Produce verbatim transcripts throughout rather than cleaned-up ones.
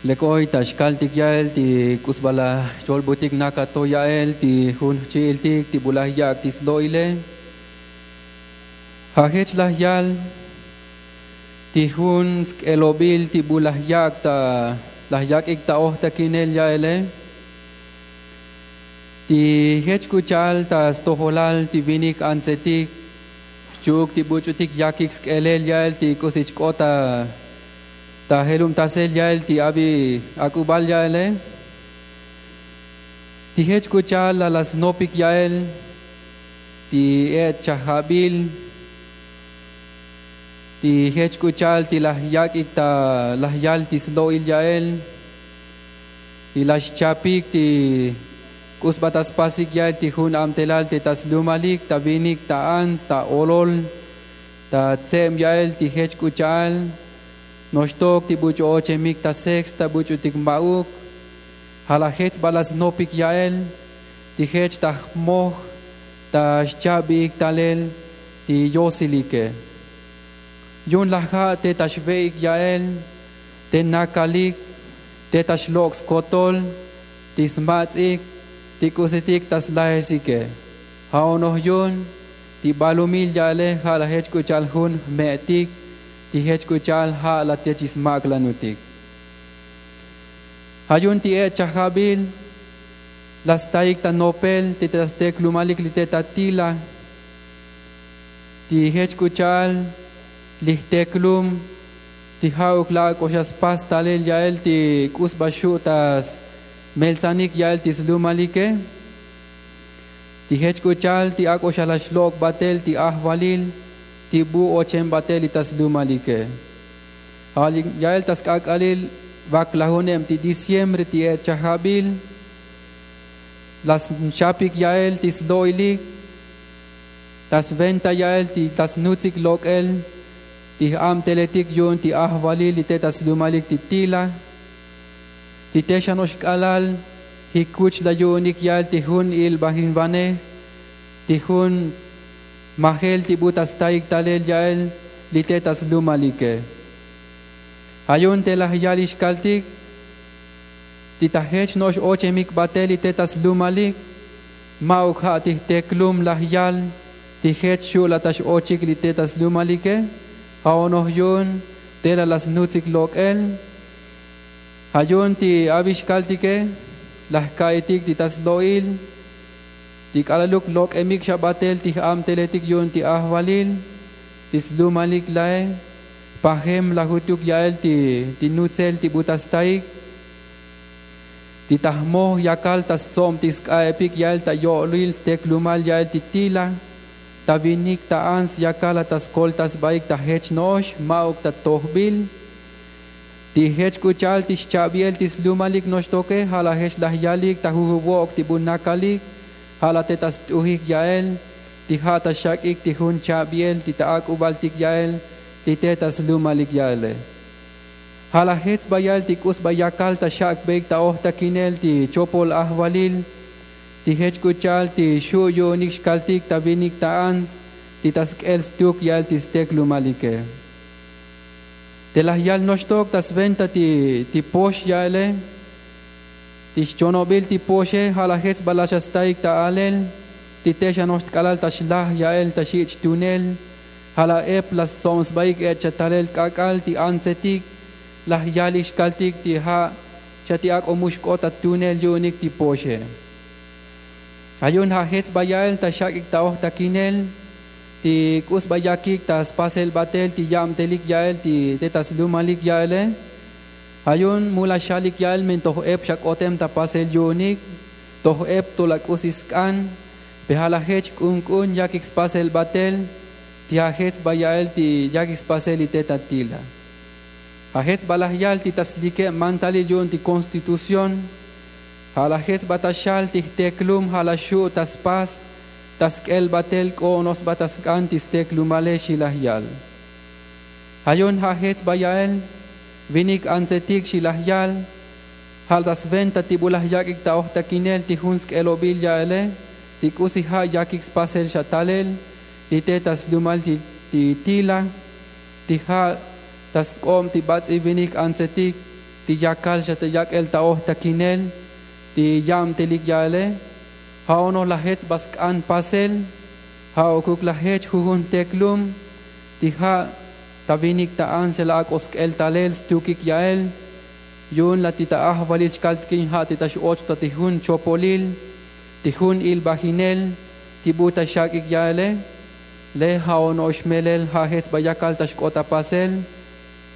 Lek oy ta xkaltik ya'el ti k'usi ba laj xcholbutik naka to ya'el ti jun jchi'iltik ti bu laj yak' ti slo'ile. Ja' jech laj yal ti jun sk'elobil ti bu laj yak' ta laj yak'ik ta ojtakinel ya'ele. Ti jech k'u cha'al ta stojolal ti vinik antsetik xchu'uk ti buch'utik yakik sk'elel ya'el ti k'usi chk'ot ta jelubtasel ya'el ti abi ak'ubal ya'ele. Ti jech k'u cha'al laj laj snopik ya'el ti e'et chajabil ti jech k'u cha'al ti laj yak'ik ta laj yal ti slo'il ya'el ti laj xchapik ti k'usi ba ta spasik ya'el ti jun abtelal te ta slumalik ta vinik ta ants ta olol ta tseb ya'el ti jech k'u cha'al noxtok ti buch'u ochemik ta seks ta buch'utik ma'uk. Ja' laj jech ba laj snopik ya'el ti jech ta jmoj ta xchabiik talel ti yosilike. Yu'un laj ja' te ta xve'ik ya'el te nakalik te ta xlok' skotol ti smats'ik ti k'usitik ta slajesike. Ja' onoj yu'un ti balumil ya'ele ja' laj jech k'u cha'al jun jme'tik ti jech k'u cha'al ja' laj te chi smak'lanutik. Ja' yu'un ti e'et chajabil laj staik ta nopel ti ta steklumalik li te ta tila ti jech k'u cha'al li jteklum ti ja'uk laj ak'o xa spas talel ya'el ti k'usi ba xu' ta smeltsanik ya'el ti slumalike. Ti jech k'u cha'al ti ak'o xa laj xlok' batel ti ajvalil ti bu ochem batel li ta slumalike. Ja' ya'el ta sk'ak'alil vaklajuneb ti diciembre ti e'et chajabil laj xchapik ya'el ti slo'ilik ta sventa ya'el ti ta snutsik lok'el ti j'abteletik yu'un ti ajvalil li te ta slumalik ti tila ti te xa no'ox k'alal jikuch laj yu'unik ya'el ti jun ilbajinvanej ti jun majel ti bu ta staik talel ya'el li te ta slumalike. Ja' yu'un te laj yal ixkaltik ti ta jech no'ox ochemik batel li te ta slumalik ma'uk ja' ti jteklum laj yal ti jech xu' laj ta x'ochik li te ta slumalike. Ja' onoj yu'un te laj laj snutsik lok'el ja' yu'un ti abi xkaltike laj jka'itik ti ta slo'il ti k'alaluk lok'emik xa batel ti j'abteletik yu'un ti ajvalil ti slumalik lae. Jpajem laj jutuk ya'el ti nutzel ti bu ta staik ti ta jmoj yakal ta stsob ti sk'a'epik ya'el ta yo'lil steklumal ya'el ti tila ta vinik ta ants yakal laj ta skoltasbaik ta jech no'ox ma'uk ta tojbil. Ti jech k'u cha'al ti xchabiel ti slumalik noxtoke ja' laj jech laj yalik ta jujuvok' ti bu nakalik ja' laj te ta st'ujik ya'el ti ja' ta xak'ik ti jun chabiel ti ta ak'ubaltik ya'el ti te ta slumalik ya'ele. Ja' laj jech sba ya'el ti k'usi ba yakal ta xak'beik ta ojtakinel ti chopol ajvalil ti jech k'u cha'al ti xu' yu'unik xkaltik ta vinik ta ants ti ta sk'el stuk ya'el ti steklumalike. Te laj yal noxtok ta sventa ti pox ya'ele ti xchonobil ti poxe ja' laj jech sba laj xa staik ta alel ti te xa no'ox tk'alal ta xlaj ya'el ta xich' tunel ja' laj ep laj stsob sbaik e'et xa talel k'ak'al ti antsetik laj yalik xkaltik ti ja' xa ti ak'o mu xk'ot ta tunel yu'unik ti poxe. Ja' yu'un ja' jech sba ya'el ta xak'ik ta ojtakinel ti k'usi ba yakik ta spasel batel ti yabtelik ya'el ti te ta slumalik ya'ele. Ja' yu'un mu laj xalik ya'el men toj ep xa k'otem ta pasel yu'unik toj ep to laj k'usi sk'an. Pe ja' laj jech k'unk'un yakik spasel batel ti ja' jech sba ya'el ti yakik spasel li te ta tila. Ja' jech sba laj yal ti ta slikeb mantalil yu'un ti konstitución ja' laj jech sba ta xal ti jteklum ja' laj xu' ta spas ta sk'el batel k'o onoj sba ta sk'an ti steklumale xi laj yal. Ja' yu'un ja' jech sba ya'el vinik antsetik xi laj yal ja' ta sventa ti bu laj yak'ik ta ojtakinel ti jun sk'elobil ya'ele ti k'usi ja' yakik spasel xa talel li te ta slumal ti tila ti ja' ta sk'ob ti bats'i vinik antsetik ti yakal xa ta yak'el ta ojtakinel ti yabtelik ya'ele. Ja' onoj laj jech sba sk'an pasel. Ja' okuk laj jech jujun teklum ti ja' ta vinik ta ants xa laj ak'o sk'el talel stukik ya'el. Yu'un laj ti ta ajvalil xkaltikin ja' ti ta x'och ta ti jun chopolil ti jun ilbajinel ti bu ta xak'ik ya'ele. Le ja' ono'ox melel ja' jech sba yakal ta xk'ot ta pasel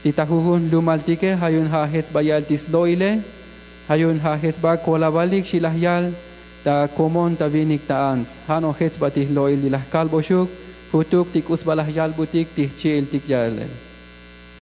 ti ta jujun jlumaltike. Ja' yu'un ja' jech sba ya'el ti slo'ile. Ja' yu'un ja' jech sba kolavalik xi laj yal ta komon ta vinik ta ants. Ja' no'ox jech sba ti jlo'il li laj kalboxuk jutuk ti k'u sba laj yalbutik ti jchi'iltik ya'ele.